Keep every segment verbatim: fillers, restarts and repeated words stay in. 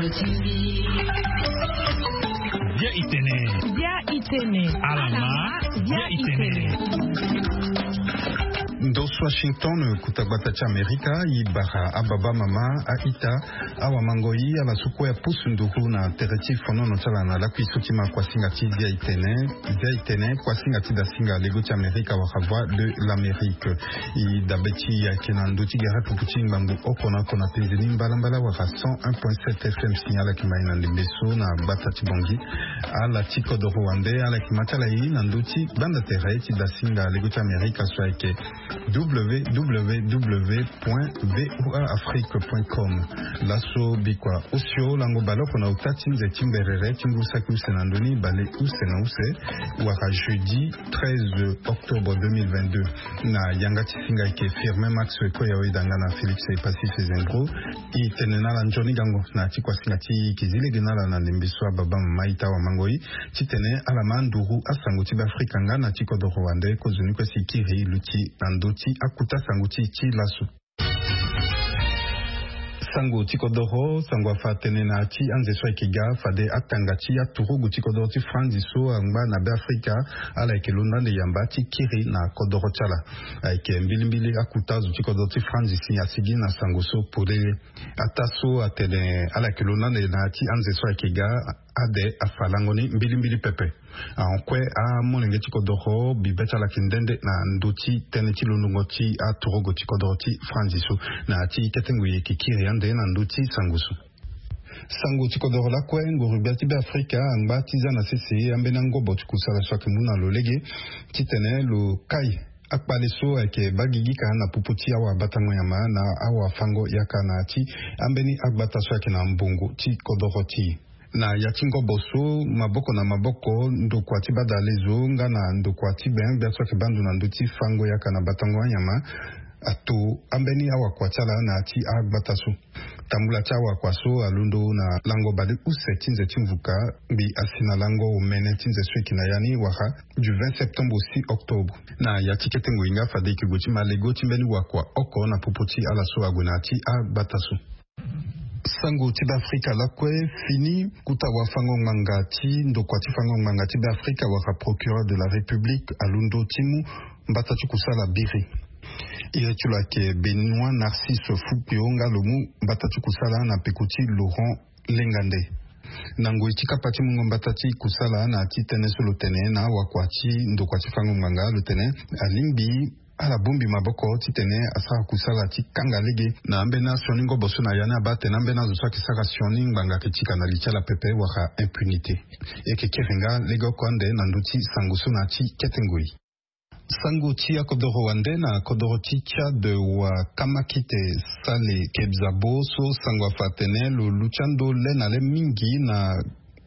Bia itene. Bia itene. Alama. Bia itene. Ndo Washington, kota gbata ti Amerika, i bara ababa, mama, aita, awamangoi, ala so kue apusu nduru na tere ti fonono ti ala na lakui so ti ma kuasinga ti Bia itene. Bia itene, kuasinga ti dasinga lego ti Amerika wala Voix de l'Amérique. I dabe ti i ayeke na ndö ti gere pupu ti ngbangbo oko na oko na penze ni mbalambala wala cent un point sept F M si. Ala yeke ma i na ndembe so na gbata ti Bangui. Ala ti kodoro wande ala yeke ma ti ala i na ndö ti gbanda tere ti dasinga lego ti Amerika so ayeke www point voa afrique point com. Laso bikua osio lango baleoko na ota ti nze ti mberere ti ngu saki use na ndö ni bale use na use wala jeudi treize octobre deux mille vingt-deux. Na yanga ti singa ayeke Firmin Max Ekoya, oyeda nga na Félix Passy Fezendro. I tene na ala nzoni gango na ya ti kuasinga ti i, e ke zi lege na ala na ndembe so ababa, mama, aita, awamangoi, titene ala ma nduru asango ti Beafrika nga na ti kodoro wande kozoni kue si i kiri i luti na ndö ti akuta sango ti i ti laso. Sango ti kodoro, sango afa atene na ya ti anze so ayeke ga fade atanga ti aturugu ti kodoro ti Franzi so angba na Beafrika, ala yeke londo ande yamba ti kiri na kodoro ti ala. Ayeke mbilimbili akuta azo ti kodoro ti Franzi si asigi na sango so polele. Ataa so atene ala yeke londo ande na ya ti anze so ayeke ga, ade afa lango ni mbilimbili pepe. Ahon kue amolenge ti kodoro bibe ti ala yeke nde nde na ndö ti tënë ti londongo ti aturugu ti kodoro ti Franzi so. Na ya ti kete ngoi e yeke kiri ande na ndö ti sango so. Sango ti kodoro lakue, nguru-gbia ti Beafrika angba ti za na sese ambeni angobo ti kusala so ayeke mu na lo lege titene lo kai akpale so ayeke baa gigi ka na popo ti awabatango nyama na awafango yaka na ya ti ambeni agbata so ayeke na mbongo ti kodoro ti e. Na ya ti ngobo so, maboko na maboko, ndokua ti badalezo nga na ndokua ti gbengbia so ayeke baa ndo na ndö ti fango yaka na batango anyama ato ambeni awakua ti ala na ya ti agbata so. Tambula ti awakua so alondo na lango baleuse ti nze ti mvuka, ngbi asi na lango omene ti nze so e yeke na ya ni wala du vingt septembre au six octobre. Na ya ti kete ngoi nga fade e yeke gue ti ma lego ti mbeni wakua oko na popo ti ala so ague na ya ti agbata so. Sango ti Beafrika lakue, fini kota wafango-ngbanga ti ndokua ti fango-ngbanga ti Beafrika wala Procureur de la République alondo ti mu mbata ti kusala biri. Iri ti lo ayeke Benoît Narcisse Fukio nga lo mu mbata ti kusala na peko ti Laurent Lengande. Na ngoi ti kapa ti mungo mbata ti kusala na ya ti tënë so lo tene na awakua ti ndokua ti fango-ngbanga, lo tene alingbi ala bongbi maboko titene asara kusala ti kanga lege na ambeni asioni ngobo so na ya ni abaa atene ambeni azo so ayeke sara sioni ngbanga ayeke ti ka na li ti ala pepe wala impunité. E yeke kiri nga legeoko ande na ndö ti sango so na ya ti kete ngoi. Sango ti akodoro wande na kodoro ti Tchad, wa kamakite Saleh Kebzabo so sango afa atene lo luti ando le na le mingi na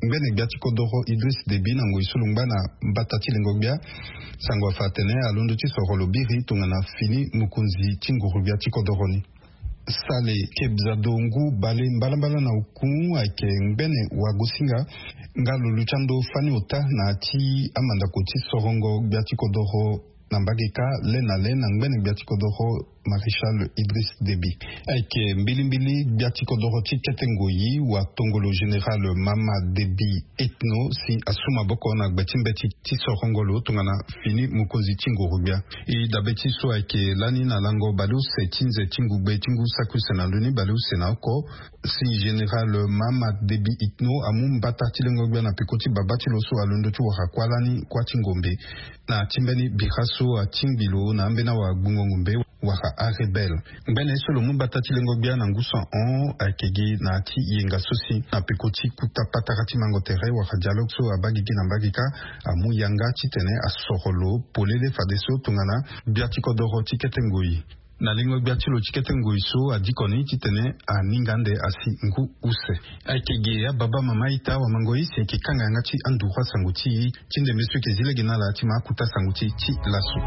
ngbene gbia ti kodoro Idriss Déby na ngoi so lo ngba na mbata ti lengo gbia. Sango afa atene alondo ti soro lo biri tongana fini mokonzi ti nguru gbia ti kodoro ni. Saleh Kebzabo ngu bale mbalambala na oku ayeke ngbene wagosinga nga lo luti ando fani ota na ya ti amandako ti sorongo gbia ti kodoro na mbage kâ le na le na ngbene gbia ti kodoro Maréchal Idriss Déby. Ayeke mbilimbili gbia ti kodoro ti kete ngoi wa tongolo général Mahamat Déby Itno si asu maboko na gbe ti mbeti ti sorongo lo tongana fini mokonzi ti nguru gbia. E dabe ti so ayeke lani na lango baleuse ti nze ti ngugbe ti ngu saki use na ndö ni baleuse na oko, si général Mahamat Déby Itno amu mbata ti lengo gbia na peko ti babâ ti lo so alondo ti wara kuâ lani kuâ ti ngombe. Na ti mbeni bira so atingbi lo na ambeni awagbungo ngombe wala arebelle. Ngbene so lo mu mbata ti lengo gbia na ngu so ahon ayeke gi na ya ti yenga so si na peko ti kota patara ti mango tere wala dialogue so abaa gigi na mbage kâ amu yanga titene asoro lo polele fadeso tongana gbia ti kodoro ti kete ngoi. Na lengo gbia ti lo ti kete ngoi so adiko ni titene aninga ande asi ngu use. Ayeke ge ababa, mama, ita, wamangoi, si e yeke kanga yanga ti anduru asango ti e ti ndembe so e yeke zi lege na ala ti ma akota sango ti e ti laso.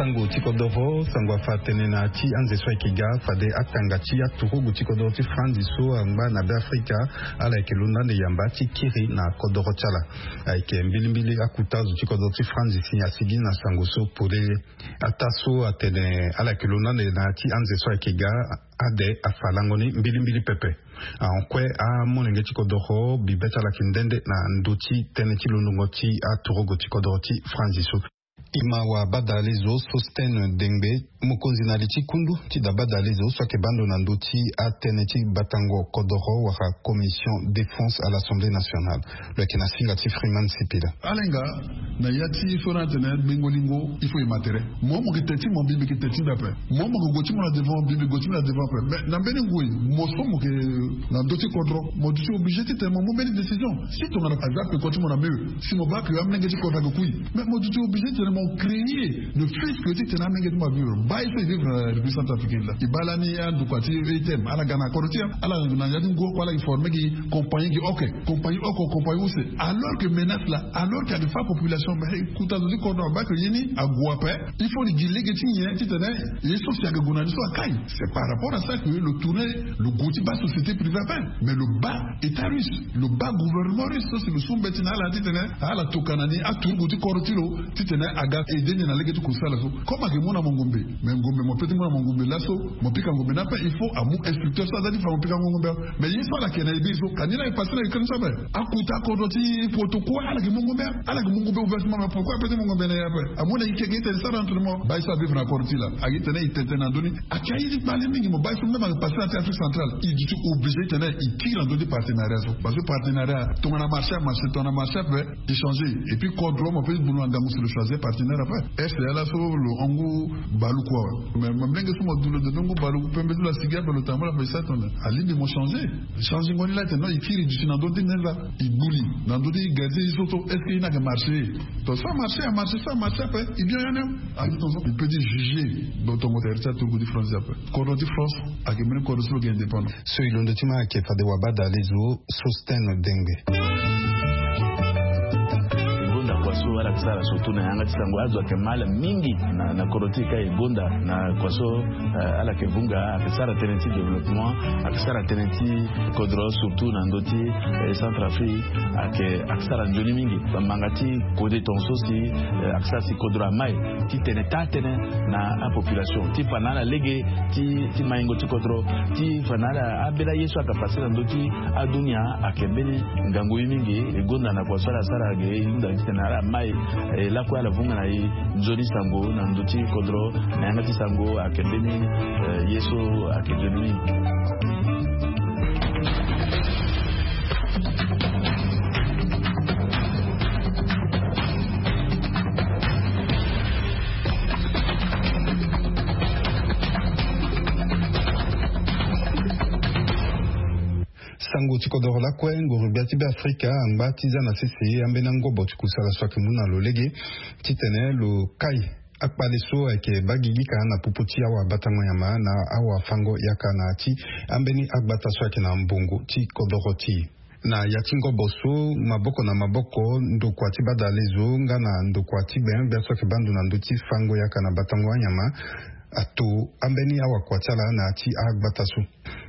Sango ti kodoro, sango afa atene na ya ti anze so ayeke ga fade atanga ti aturugu ti kodoro ti franzi so angba na be afrika, ala yeke londo ande yamba ti kiri na kodoro ti ala. Ayeke mbilimbili akuta azo ti kodoro ti franzi si asigi na sango so polele. Ataa so atene ala yeke londo ande na ya ti anze so ayeke ga, ade afa lango ni mbilimbili pepe. Ahon kue amolenge ti kodoro bibe ti ala yeke nde nde na ndö ti tënë ti londongo ti aturugu ti kodoro ti franzi so. Ima wa badale zo Sostène Dengbe, mokonzi na li ti kundu ti da badale zo so ayeke bando na ndö ti atënë ti batango kodoro wala commission défense à l'Assemblée nationale. Lo yeke na singa ti Freeman Sipila. Ala hinga na ya ti so na atene gbengo lingo, il faut e ma tere. Mo mo yeke te ti mo, mbi mbi yeke te ti mbi ape. Mo mo yeke gue ti mo na devant, mbi mbi gue ti mbi na devant ape. Mais na mbeni ngoi, mo so mo yeke na ndö ti kodro, mo duti obligé titene mo mu mbeni décision. Si tongana aza peko ti mo na mewe, si mo baa ke amolenge ti kodro ayeke kui, mais mo duti obligé titene mo créer ne fût-ce que titene amolenge ti mo avivre. Baa ye so e vivre na République centrafricaine la, e baa lani andokua ti E T M, ala ga na kodro ti e, ala na ya ti ngu oko, ala forme gi compagnie gi, ok, compagnie oko, compagnie use. Alors que menace la, alors que ayeke fa population, mais kuta zo ti kodro abaa ke ye ni ague ape. Il faut gi lege ti nyen titene ye so si ayeke gue na ni so akai. C'est par rapport à ça que lo tourne lo gue ti baa société privée ape. Mais lo baa état russe, lo baa gouvernement russe so si lo su mbeti na ala titene ala tokua na ni aturugu ti kodro ti lo, titene aga aide ni na lege ti kusala so. Comme ayeke mu na mo ngombe, mais ngombe mo peut ti mu na mo ngombe laso, mo pika ngombe ni ape, il faut amu instructeur so aza ti fa mo pika ngombe. Mais ye so ala yeke na ye bi so, ka ni la e passé na Ukraine so ape. Akuta kodro ti poto kue ala yeke mu ngombe, ala yeke mu ngombe ouvertement. Mais pourquoi ape ti mu ngombe na ye ape? Amu na ike gi tene sara entre mo baa ye so avivre na kodro ti la, agi tene e tene tene na ndö ni. Ayeke aye ti kpale mingi. Mo baa ye so même ayeke passé na ti Afrique centrale, e duti obligé tene e kiri na ndö ti partenariat so. Parce que partenariat, tongana marché amarché, tongana marché ape, e changer. Et puis kodro mo peut ti mu na ngangu si lo choisir partenaire ape. Est-ce que ala so lo hon ngu baluku awe? Mais ma mlenge so mo du lo de ngu baluku, pembe ti lo asigi ape, lo tambula ape, e sara tongana alingbi mo changer. Changengo ni la tene non, e kiri duti na ndö ti neza, e gbu li na ndö ti gardien ye so to. Est-ce que ye ni ayeke marché? To so amarché, amarché, so amarché ape, e bien ya ni. Agi tongaso e peut ti juger. Donc tongo tere ti aturugu ti France ape. Kodro ti France ayeke mbeni kodro so lo yeke indépendant. So e londo ti ma ayeke fade wa badale zo Sostène Dengbe. E gonda kua so ala yeke sara surtout na yanga ti sango, azo ayeke mal mingi na, na kodro ti e ka e gonda na kua so, eh, ala yeke vunga, ayeke sara tënë ti développement, ayeke sara tënë ti kodro surtout na ndö ti, eh, Centrafrique, ayeke, ayeke sara nzoni mingi. Bamanga ti kode tongaso si, eh, ayeke sara si kodro amai ti tene taa tënë na apopulation, ti fa na ala lege ti, ti maingo ti kodro, ti fa na ala ambeni aye so ayeke passé na ndö ti adunia. Ayeke mbeni ngangu ye mingi. E gonda na kua so ala sara ge, e hunda titene ala mai, eh, lakue ala vunga na e nzoni sango na ndö ti kodro. Na yanga ti sango ayeke mbeni, eh, ye so ayeke nzoni mingi. Sango ti kodoro lakue, nguru-gbia ti Beafrika angba ti za na sese ambeni angobo ti kusala so ayeke mu na lo lege titene lo kai akpale so ayeke baa gigi ka na popo ti awabatango nyama na awafango yaka na ya ti ambeni agbata so ayeke na mbongo ti kodoro ti e. Na ya ti ngobo so, maboko na maboko, ndokua ti badale zo nga na ndokua ti gbengbia so ayeke baa ndo na ndö ti fango yaka na batango anyama ato ambeni awakua ti ala na ya ti agbata so.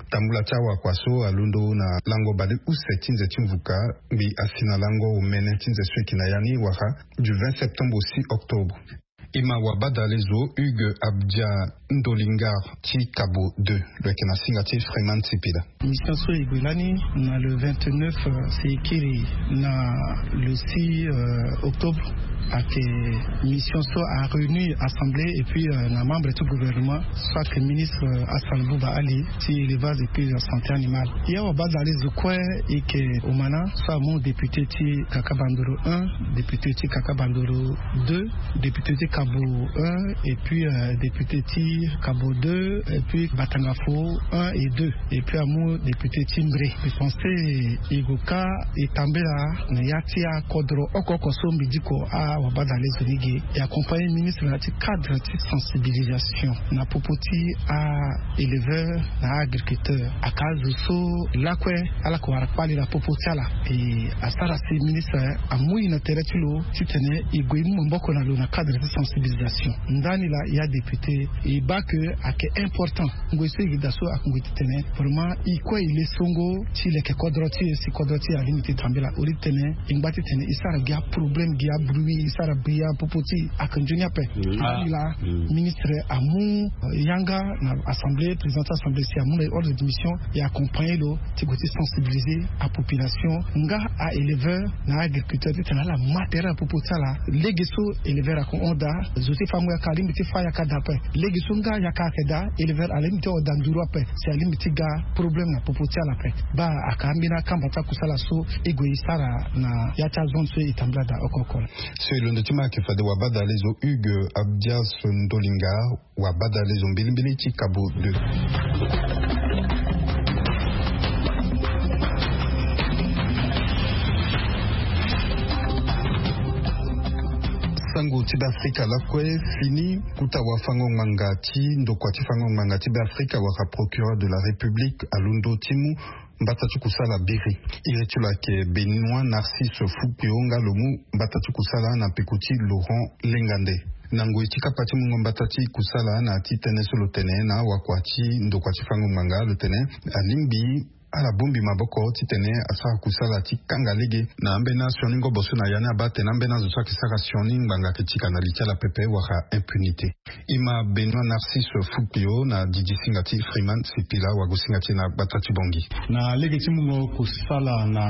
Tambula ti awakua so alondo na lango bale use ti nze ti mvuka, mbi asi na lango omene ti nze so e yeke na ya ni wala du vingt septembre au six octobre. E ma wabadale zo Hugues Abdia Ndolingar ti Cabo deux, lo yeke na singa ti Freeman Sipila. Mission so e gue lani na le vingt-neuf, euh, si e kiri na le six, euh, octobre, ayeke mission so a réunir assemblée et puis, euh, na membre ti gouvernement, so ayeke ministre, euh, Hassan Bouba Ali ti élevage et puis la santé animale. Ya wabadale zo kue e yeke omana so amu député ti Kaka Bandoro un, député ti Kaka Bandoro deux, député ti Cabo un, et puis, euh, député ti Cabo deux, et puis Batangafo un et deux, et puis amu député ti Mbre. E pense e gue ka e tambela na ya ti akodro oko oko so mbi diko a Wabadale zo ni ge e accompagner ministre na ya ti cadre ti sensibilisation na popo ti a éleveur na a agriculteur. Aka azo so lakue ala ko wara kpali na popo ti ala. E asara si ministre amu e na tere ti lo titene e gue e mu maboko na lo na cadre ti sensibilisation. Ndani laa ya député e baa ke ayeke important ngoi so e gi daa so akongo titene vraiment e kue e le songo ti leke kodro ti e si kodro ti e alingbi ti tambela au lieu titene e ngba titene e sara gi aproblème gi abruit e sara bia popo ti e ayeke nzoni ape. Ndani laa ministre amu yanga na assemblée président ti assemblée si amu na e ordre de mission e accompagner lo ti gue ti sensibiliser apopulation nga a éleveur na agriculteur titene ala ma tere na popo ti ala. Lege so éleveur ako hon daa zo ti fango yaka alingbi ti fa yaka daa ape. Lege so nga yaka ayeke daa éleveur alingbi ti hon daa nduru ape si alingbi ti ga problème na popo ti ala ape. Baa aka ambeni akamba ti akusala so e gue e sara na ya ti azone so e tambula daa oko oko laa. So e londo ti ma ayeke fade wabadale zo Hugues Abdias Ndolinga. Wabadale zo mbilimbili ti Cabo deux. Sango ti Beafrika lakue fini. Kuta wafango ngbanga ti ndokua ti fango ngbanga ti Beafrika wala procureur de la République alondo ti mu mbata ti kusala biri. Iri ti lo ayeke Benoît Narcisse Fouclio nga lo mu mbata ti kusala na peko ti Laurent Lengande. Na ngoi ti kapa ti mungo mbata ti kusala na ya ti tënë so lo tene na wakua ti ndokua ti fango ngbanga lo tene alingbi ala bongbi maboko titene asara kusala ti kanga lege na ambeni asioni ngobo so na ya ni abaa atene ambeni azo so ayeke sara sioni ngbanga ayeke tika na li ti ala pepe wala impunité. E ma Benoît Narcisse Fouclio na didi singa ti Freeman Sipila wagosinga ti e na gbata ti Bangui. Na lege ti mungo kusala na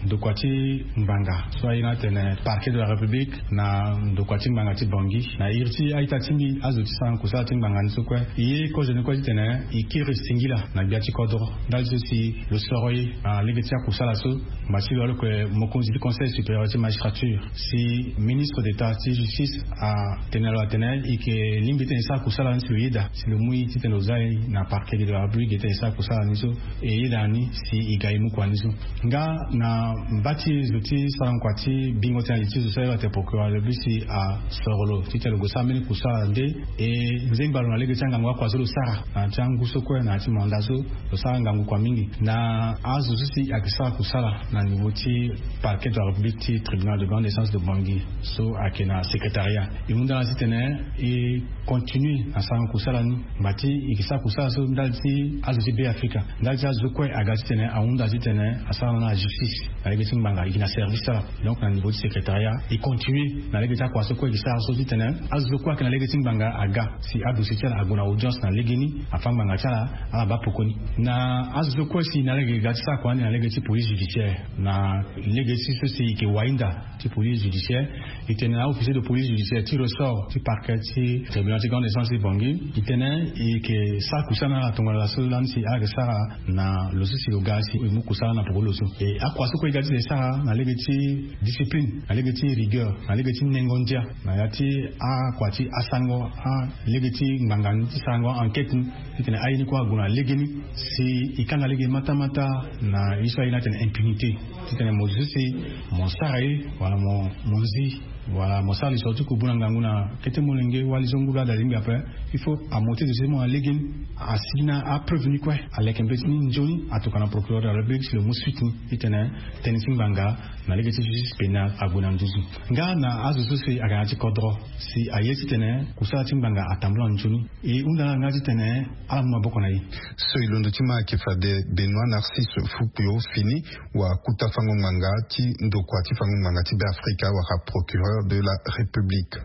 ndokua ti ngbanga so aye ni atene Parquet de la République na ndokua ti ngbanga ti Bangui, na iri ti a-ita ti mbi azo ti sara kusala ti ngbanga ni so kue, e ye kozo ni kue titene e kiri singila na gbia ti kodro ndali so si lo soro e na lege ti akusala so. Ngba ti lo aloke mokonzi ti Conseil supérieur ti magistrature si ministre d'état ti justice atene na lo atene e yeke lingbi titene e sara kusala ni si lo yeda si lo mu e titene lo za e na Parquet de la République titene e sara kusala ni so. E yeda ni si e ga e mu kua ni so. Nga na mba ti zo ti sara ngokua ti bingo ti na li ti zo so aye lo atene procureur de la République si asoro lo titene lo gue sara mbeni kusala nde. E nzengba lo na lege ti angangu akua so lo sara na ya ti angu so kue na ya ti manda so lo sara ngangu kua mingi na azo so si ayeke sara kusala na niveau ti Parquet de la République ti Tribunal de grande instance de Bangui so ayeke na secrétariat. E hunda na titene e continue na sarango kusala ni. Ngba ti e yeke sara kusala so ndali ti azo ti Beafrika, ndali ti azo kue aga titene ahunda titene asara na justice na lege ti ngbanga e yeke na service ti ala. Donc na niveau ti secrétariat e continue na lege ti akua so kue e yeke sara so titene azo so kue ayeke na lege ti ngbanga aga si adossier ti ala ague na audience na legeni, afâ ngbanga ti ala, ala baa poko ni. Na azo so kue si na lege ga ti sara kua ni na lege ti police judiciaire, na lege ti so si e yeke wainda ti police judiciaire, e tene na aofficier de police judiciaire ti ressort ti parquet ti tribunal ti grande instance ti Bangui, e tene e yeke sara kusala na ala tongana laso lani si ala yeke sara na lo so si lo ga si e mu kusala na poko ti lo so. E akua so kue e ga ti tene e sara na lege ti discipline, na lege ti rigueur, na lege ti nengo ndia na ya ti akua ti asango a lege ti ngbanga ni ti sarango enquête ni, titene aye ni kue ague na legeni si e kanga lege matamata na ye so aye ni atene impunité. Titene mo zo so si mo sara ye wala mo mo zi wala mo sara lisoro ti kubu na ngangu na kete molenge wala li so nguru ala lingbi ape, il faut amonte zo so si mo na legeni, asigi na apreuve ni kue, aleke mbeti ni nzoni, atokua na procureur de la République si lo mu suite ni titene tënë ti ngbanga na lege ti justice pénale ague na nduzu. Nga na azo so si aga na ya ti kodro si aye titene kusala ti ngbanga atambula nzoni, e hunda na ala nga titene ala mu maboko na e. So e londo ti ma ayeke fade Benoît Narcisse Fouclio fini, wa kuta fango ngbanga ti ndokua ti fango ngbanga ti Beafrika wala procureur de la République.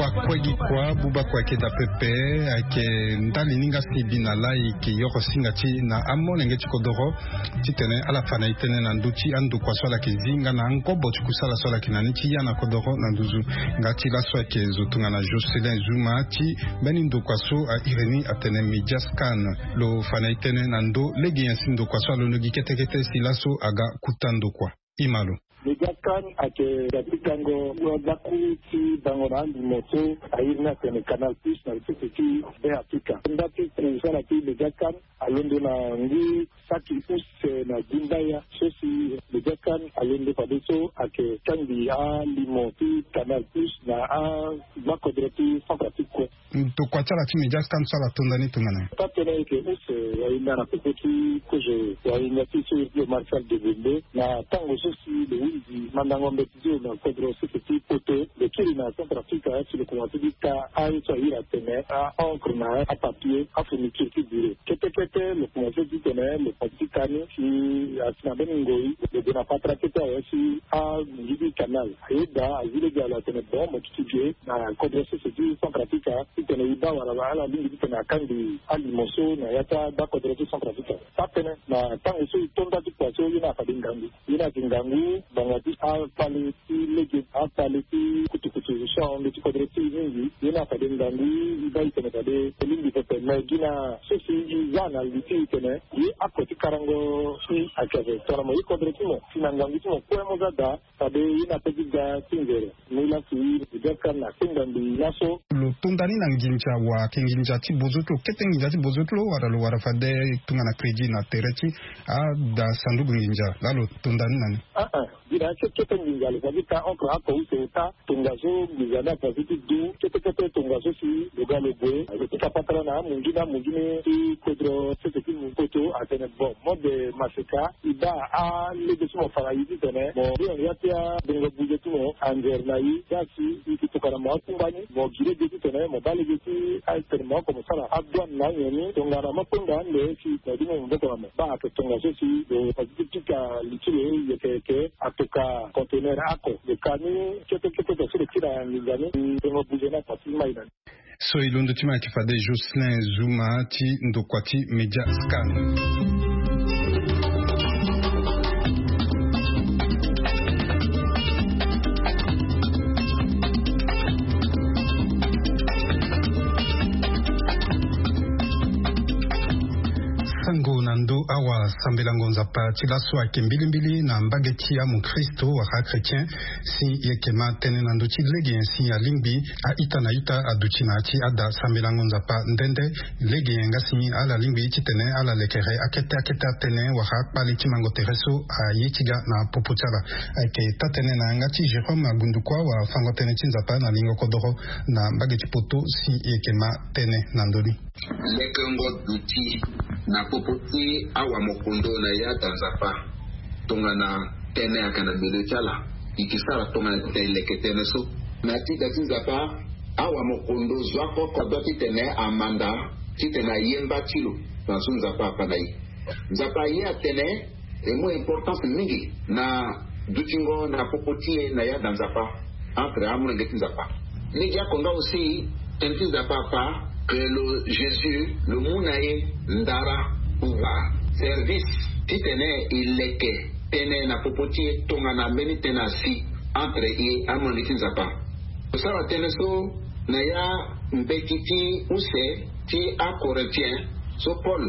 Kua kue gi kua buba kue ayeke daa pepe. Ayeke ndali ni nga si e bi na laa e yeke yoro singa ti e na amolenge ti kodoro titene ala fa na e tënë na ndö ti andokua so ala yeke zi nga na angobo ti kusala so ala yeke na ni ti ya na kodoro na nduzu. Nga ti laso ayeke zo tongana Jocelyn Zuma ti mbeni ndokua so a iri ni atene Media Scan. Lo fa na e tënë na ndö lege nyen si ndokua so alondo gi kete kete si laso aga kuta ndokua. E ma lo. Média Scan ayeke da ti gango wadaku ti bango na alimo so a iri ni atene Canal Plus na sese ti Be Afrika. Nda ti kusala ti Média Scan alondo na ngu saki use na gumbaya so si Média Scan alondo fadeso ayeke kangbi alimo ti Canal Plus na agbako-dro ti Centrafrique kue. Tokua ti ala ti Média Scan so ala tonda ni tongana nyen? Taa-tënë ayeke use wahinda na popo ti kozo wahinda ti so iri ti lo Marcel Degonde na tango so si lo hunzi mandango mbeti ti lo na kodro sese ti poto. Lo kiri na Centrafrique si lo komanse ti ka aye so a iri atene a-encre na apapier, afourniture ti bureau. Kete kete lo komanse ti tene lo komanse ti ka ni si asi na mbeni ngoi lo gue na patara kete awe si amunzu ti canal. Ayeda azi lege na lo atene bon mo duti ge na kodro sese ti Centrafrique titene e baa wala ala lingbi titene akangbi alimo so na ya ti agbakodro ti Centrafrique. Taa-tënë na tango so e to nda ti kua so ye ni afade ngangu. Ye ni ayeke ngangu ngbanga ti akpale ti lege, akpale ti kutukutu so ahon nde ti kodro ti e mingi. Ye ni afade ngangu e baa e tene fade e lingbi pepe me gi na so si e za na li ti e tene ye ako ti karango si ayeke ape tongana mo ye kodro ti mo si na ngangu ti mo kue mo za daa. Fade ye na pe ti ga ti nzere. Mu lasi Média Scan na kpengba mbi laso. Lo tonda ni na nginza wa ayeke nginza ti bozo ti lo kete nginza ti bozo ti lo wala lo wara fade tongana crédit na tere ti ada sanduku nginza laa lo tonda ni na ni? Aa gi na ya ti kete nginza lo fa ti ka encre ako use ota. Tongaso nginza ni afa ti du kete kete tongaso si lo ga lo gue lo ti ka patara na amunzu ni amunzu ni ti kodro sese ti poto atene bon mode maseka. E baa alege ti mo fa na e titene mo hiri na ya ti abongo buze ti mo anzere na e. Ga si e yeke tokua na mo akungba ni mo gi lege titene mo baa lege ti atene mo oko mo sara adouane na anyen ni tongana mo kpengba ande si mo du mo maboko na mo. Baa ayeke tongaso si lo fa ti ti pika li ti lo yeke yeke atoka conteneur ako. Lo ka ni kete kete tongaso lo ti na nginza ni. Bongo buze ni afa ti mai na ni. So e londo ti ma ayeke fade Jocelyn Zuma ti ndokua ti Média Scan. Sango na ndo awa sambelango Nzapa ti laso ayeke mbilimbili na mbage ti amokristo wala achrétien. Si e yeke ma tënë na ndö ti lege nyen si alingbi a-ita na ita aduti na ya ti ada sambelango Nzapa nde nde. Lege nyen nga si ala lingbi titene ala lekere akete akete atënë wala akpale ti mango tere so aye ti ga na popo ti ala. Ayeke taa-tënë na yanga ti Jérôme Agundukua wala fango tënë ti Nzapa na lingo kodoro na mbage ti poto si e yeke ma tënë na ndö ni. Lekengo duti na popo ti awamokondo na ya da Nzapa tongana tënë ayeke na milieu ti ala. E ke sara tongana titene e leke tënë so. Na ti da ti Nzapa, awamokondo zo akoko adua titene amanda titene aye mba ti lo. Na so Nzapa afa na e. Nzapa aye atene e mu importance mingi na dutingo na popo ti e na ya da Nzapa. Entre amolenge ti Nzapa. Lege oko nga aussi tënë ti Nzapa afa que lo Jésus lo mu na e ndara, pouvoir, service titene e leke tënë na popo ti e tongana mbeni tënë asi entre e amolenge ti Nzapa. Tosara tënë so na ya mbeti ti use ti aCorinthien so Paul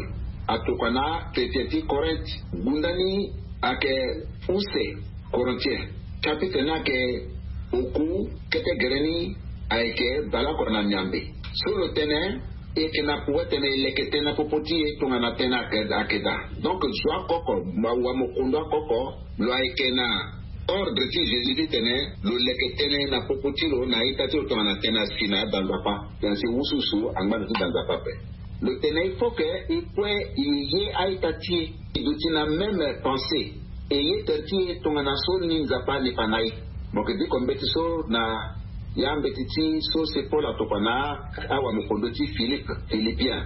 atokua na achrétien ti Corinthe. Gunda ni ayeke use Corinthien. Chapitre ni ayeke oku, kete gere ni ayeke baleoko na miambe. So lo tene e yeke na pouvoir titene e leke tënë na popo ti e tongana tënë ayeke daa. Donc zo akoko, awamokondo akoko, lo ayeke na ordre ti Jésus titene lo leke tënë na popo ti lo na ita ti lo tongana tënë asi na ya da Nzapa. Tënë asi wusuwusu angba na ya ti da Nzapa ape. Lo tene il faut que e kue e ye a-ita ti e e duti na même pensée. E ye tere ti e tongana so ni Nzapa ani fa na e. Mo yeke diko mbeti so na ya mbeti ti so se Paul atokua na awamokondo ti Philippe, Philippien.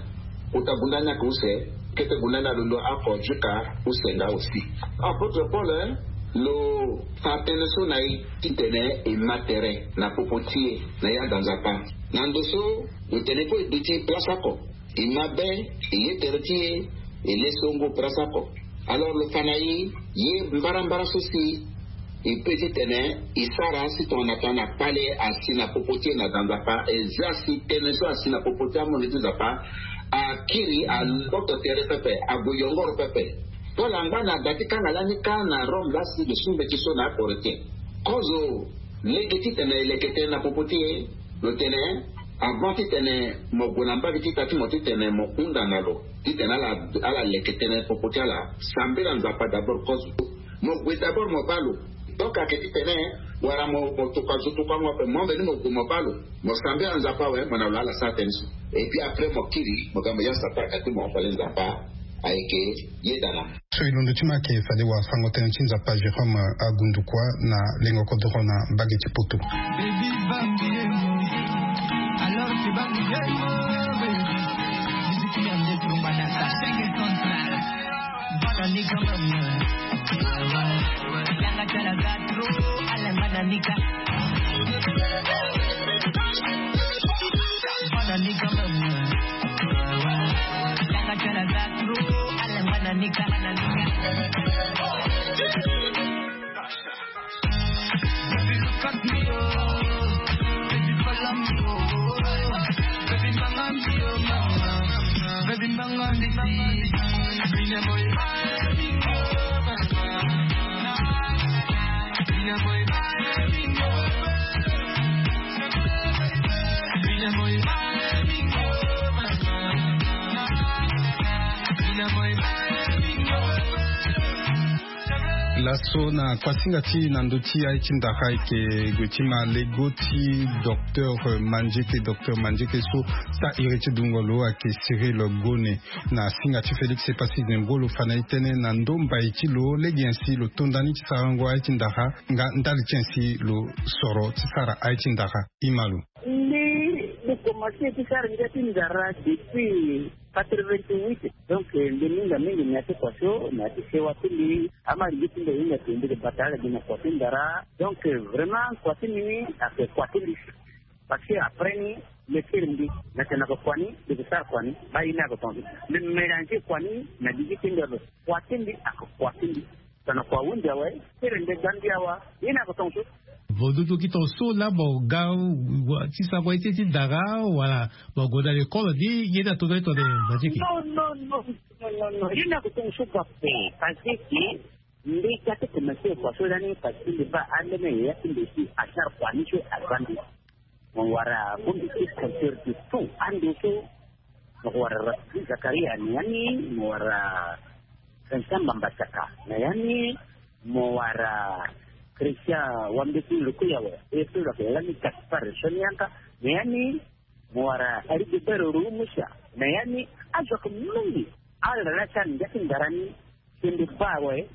Kota gunda ni ayeke use, kete gunda ni alondo oko jusqu'à use nga aussi. Apôtre Paul, eh, lo fa tënë so na e titene e ma tere na popo ti e na ya da Nzapa. Na ndo so lo tene kue e duti place oko. E mabe, e ye tere ti e, e le so ngu place oko. Alors lo fa na e, ye mbarambara so si e peut titene e sara si tongana tongana kpale asi na popo ti e na da Nzapa, e za si tënë so asi na popo ti amondo ti Nzapa akiri, aloto tere pepe, ague yongoro pepe. Paul angba na da ti kanga lani kâ na Rome lasi lo su mbeti so na akoro ti e. Kozo lege titene e leke tënë na popo ti e. Lo tene, avant titene mo gue na mbage ti ta ti mo titene mo hunda na lo titene ala ala leke tënë popo ti ala. Sambela Nzapa d'abord kozo. Mo gue d'abord mo baa lo. Donc ayeke titene wala mo mo tokua zo tokuango ape mo mbeni mo gue mo baa lo. Mo sambela Nzapa awe mo na lo ala sara tënë so. Et puis après mo kiri mo ga mo ya Satan ayeke ti mo fade Nzapa ayeke yeda na. So e londo ti ma ayeke fade wafango tënë ti Nzapa Jérôme Agundukua na lengo kodoro na mbage ti poto. Laso na kuasinga ti na ndö ti aye ti ndara ayeke gue ti ma lego ti docteur Mandieke. Docteur Mandieke so sara iri ti dungo lo ayeke Cyril Gone. Na singa ti Félix Epassi Zengbo lo fa na e tënë na ndö mbai ti lo lege nyen si lo tonda ni ti sarango aye ti ndara nga ndali ti nyen si lo soro ti sara aye ti ndara. Ima lo. Mbi mbi komanse ti sara ngia ti ndara depuis quatre-vingt-huit. Donc mbi minga mingi na ya ti kua so na ya ti sewa ti mbi. Ama lege ti mbi ahinga te mbi ke bata ala gi na kua ti ndara. Donc vraiment kua ti mbi ni ayeke kua ti mbi. Parce que après ni lekere mbi na tena ko kua ni mbi ke sara kua ni. Ba ye ni ayeke tonga so mbi mélanger kua ni na gigi ti mbi ape. Kua ti mbi ayeke kua ti mbi. Tana kua ahunzi awe. Kere nde ga mbi awa. Ye ni ayeke tonga so. Vo dudu ki tonga so laa mo ga ti sango ye ti ti ndara wala mo gue na lekole ni ye ni atonda ni tongana Mandieke. Non non non non non non ye ni ayeke tonga so ga pe. Parce que mbi ga ti komanse kua so lani parce que mbi baa ambeni yaya ti mbi si asara kua ni so aza mbi. Mo wara bongbi ti compteur de tout ando so. Mo wara Rassi Zakaria na ya ni. Mo wara Vincent Mbambasaka na ya ni. Mo wara Christian Wambeti Lukuyawe. E so lo yeke lani Gaspard Sonianka na ya ni. Mo wara Rigobert Rumusa na ya ni. Azo ayeke mingi. Ala laa ti ala na ngia ti ndara ni. Si mbi baa awe.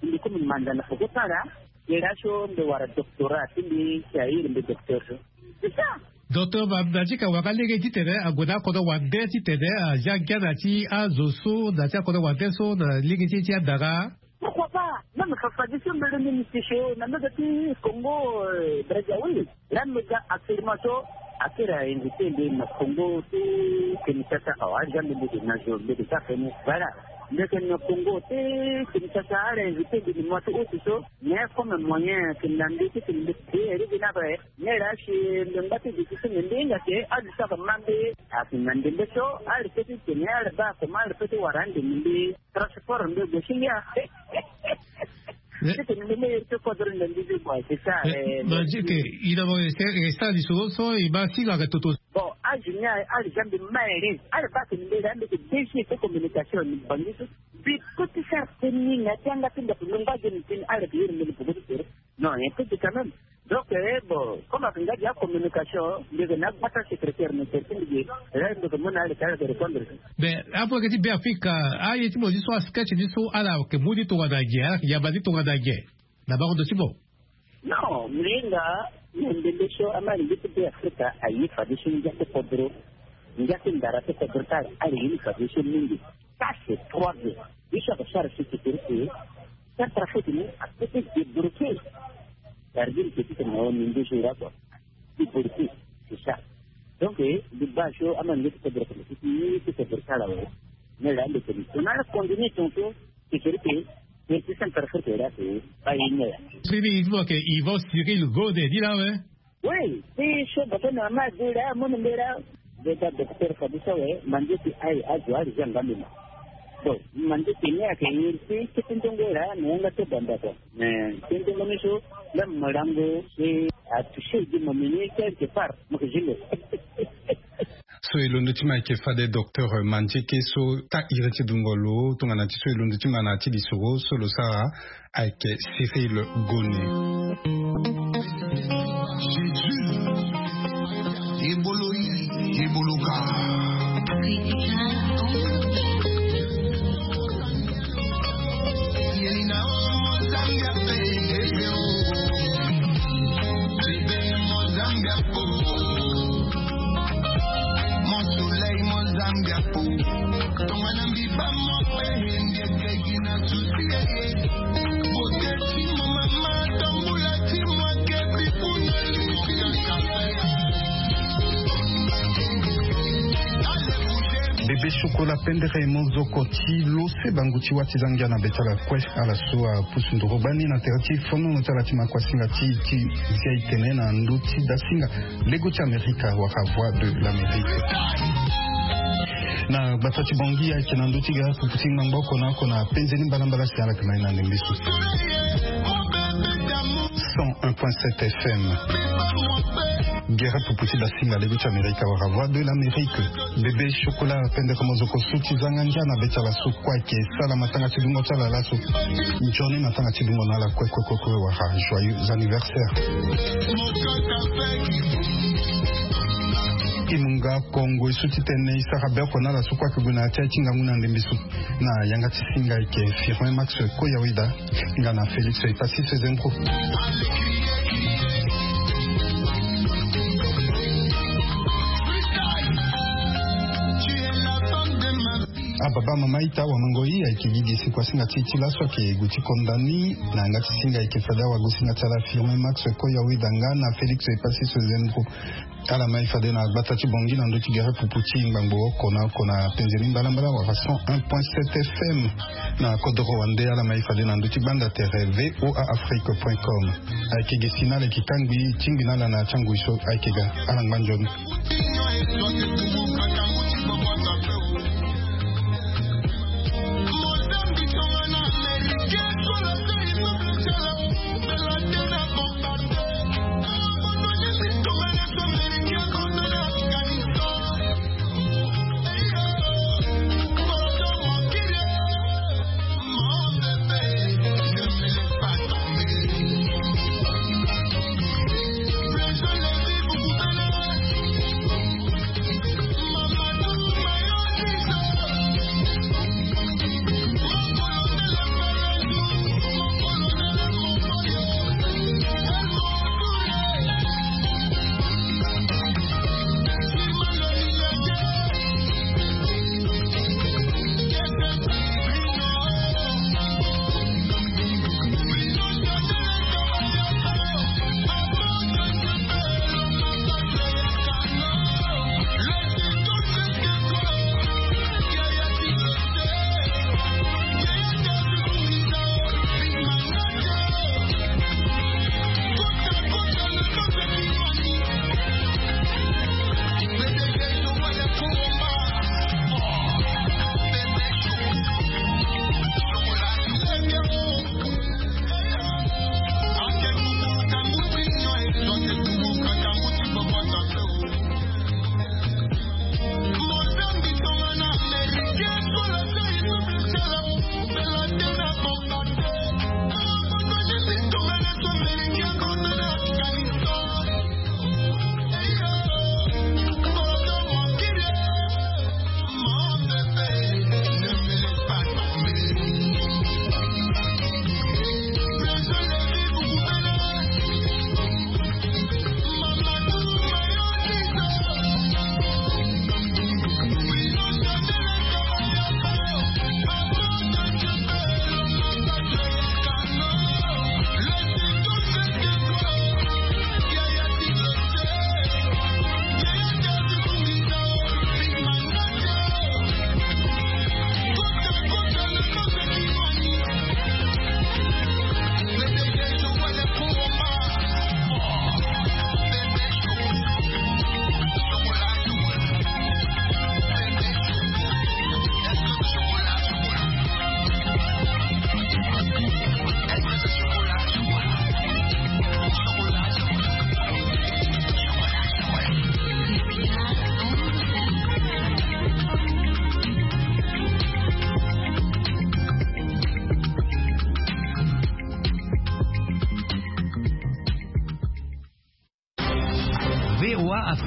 Mbi komi manda na poko ti ala. Ye laso mbi wara doctorat ti mbi si airi mbi docteur so. C'est ça. Docteur Mandieke awara lege titene ague na akodro wande titene azia ngia na ti azo so na ti akodro wande so na lege ti ti andara. Pourquoi pas? Même fafadeso mbele ni mbi ti so na mbege ti Congo Brazzaville. Laa mbi ga actuellement so akiri ainvité mbi na Congo ti Kinshasa awa. Aza mbi mbi ke na zo mbi ke ga feni voilà. Mbi ke na Congo ti Kinshasa ala invité mbi ni mois ti août so. Mais comme moyen ke na mbi ti ke mbi ke eri gi na ape. Mais laa si mbi ngba ti gi ti so mbi mbi hinga ke azo so aka ma mbi. Ake na ndembe so ala pe ti tene ala baa comment ala pe ti wara ande ni mbi. Transport nde gue si ngia. Titene mbi mbi iri ti kodro nde mbi mbi gue c'est ça. Mandieke, ina mo e sara lisoro so e ma singa ake toto. Bon, azo ni aye ala za mbi ma iri ala baa tene mbi laa mbi ke D G ti communication ni bangi so. Mbi koti sara teni na ti anga ti ndaku mbi ngba ge ni teni ala ke iri mbi ni poko ti tere. Non, un peu de quand même. Donc eh, bon, comme ake nga gi acommunication mbi yeke na agbata secrétaire ministère ti mbi ge. Là mbi yeke mu na ala ti ala yeke répondre. Mais apo yeke ti Be Afrika, aye ti mo ti so asketch ti so ala yeke mu ni tongana ge, ala yeke yamba ni tongana ge na bango ndo ti mo? Non, mbi hinga na ndembe so ama lingbi ti Be Afrika aye fadeso ngia ti kodro. Ngia ti ndara ti kodro ti ala ala ye ni fadeso mingi. Ça c'est trois. Ye so ayeke sara si sécurité. Centrafrique ni ape ti débloquer. Gardien ti tene na o ni ndoso ira kua. Ti borti c'est ça. Donc mbi baa so ama nge ti kodro kene ti ti ti kodro ti ala awe. Mais là mbi tene tongana ala continuer tongaso sécurité. Mbi ti centrafrique là c'est pas une heure. Sini il faut que Yvan Cyril Gode ni là ouais. Oui, ti so bato na ma de là mon mbela. Beta docteur fadeso awe. Mandieke aye azo ala zia nga mbi ma. Bon, mandieke ni ayeke iri ti kete nzongo ira na yanga ti banda kua. Mais kete nzongo ni so, la malango e atouché gi mo mini quelque part mo ke zilo. So e londo ti ma ayeke fade docteur Mandieke so ta iri ti dungo lo tongana ti so e londo ti ma na ya ti lisoro so lo sara ayeke Cyril Gone. Ebolo yi, ebolo ka. Yelina o Mozambique, ebe o. Ebe Mozambique o. Mon soleil Mozambique o. Tongana mbi ba mo pe hende kegi na souci e. Bebe Chocolat pendere mozoko ti lo se bangu ti wâ ti za ngia na be ti ala kue. Ala so apusu nduru gbani na tere ti fonono ti ala ti makuasinga ti ti zia e tene na ndö ti dasinga lego ti Amerika wala Voix de l'Amérique. Na gbata ti Bangui ayeke na ndö ti gere pupu ti ngbangbo oko na oko na penze ni mbalambala si ala yeke ma ye na ndembe so. Cent un point sept F M. Gere pupu ti dasinga lego ti Amerika wala Voix de l'Amérique. Bebe Chocolat pendere mozoko so ti za ngia na be ti ala so kue ayeke sala matanga ti dungo ti ala laso. Nzoni matanga ti dungo na ala kue kue kue kue wala joyeux anniversaire. E mu nga kongo e so ti tene e sara be oko na ala so kue ayeke gue na ya ti aye ti ngangu na ndembe so. Na yanga ti singa ayeke Firmin Max Koyaweda nga na Félix Epassis Zembro. Ababa mama ita wamango i ayeke gi gi si kuasinga ti e ti laso ayeke gue ti konda ni. Na yanga ti singa ayeke fade awagosinga ti ala Firmin Max Koyaweda nga na Félix Epassis Zembro. Ala ma e fade na gbata ti Bangui na ndö ti gere pupu ti ngbangbo oko na oko na penze ni mbalambala wala cent un point sept F M. Na kodoro wande ala ma e fade na ndö ti gbanda tere V O A Afrique point com. Ayeke gi si na ala yeke kangbi tingbi na ala na ya ti angui so ayeke ga. Ala ngba nzoni.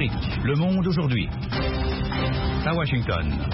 Le monde aujourd'hui. À Washington.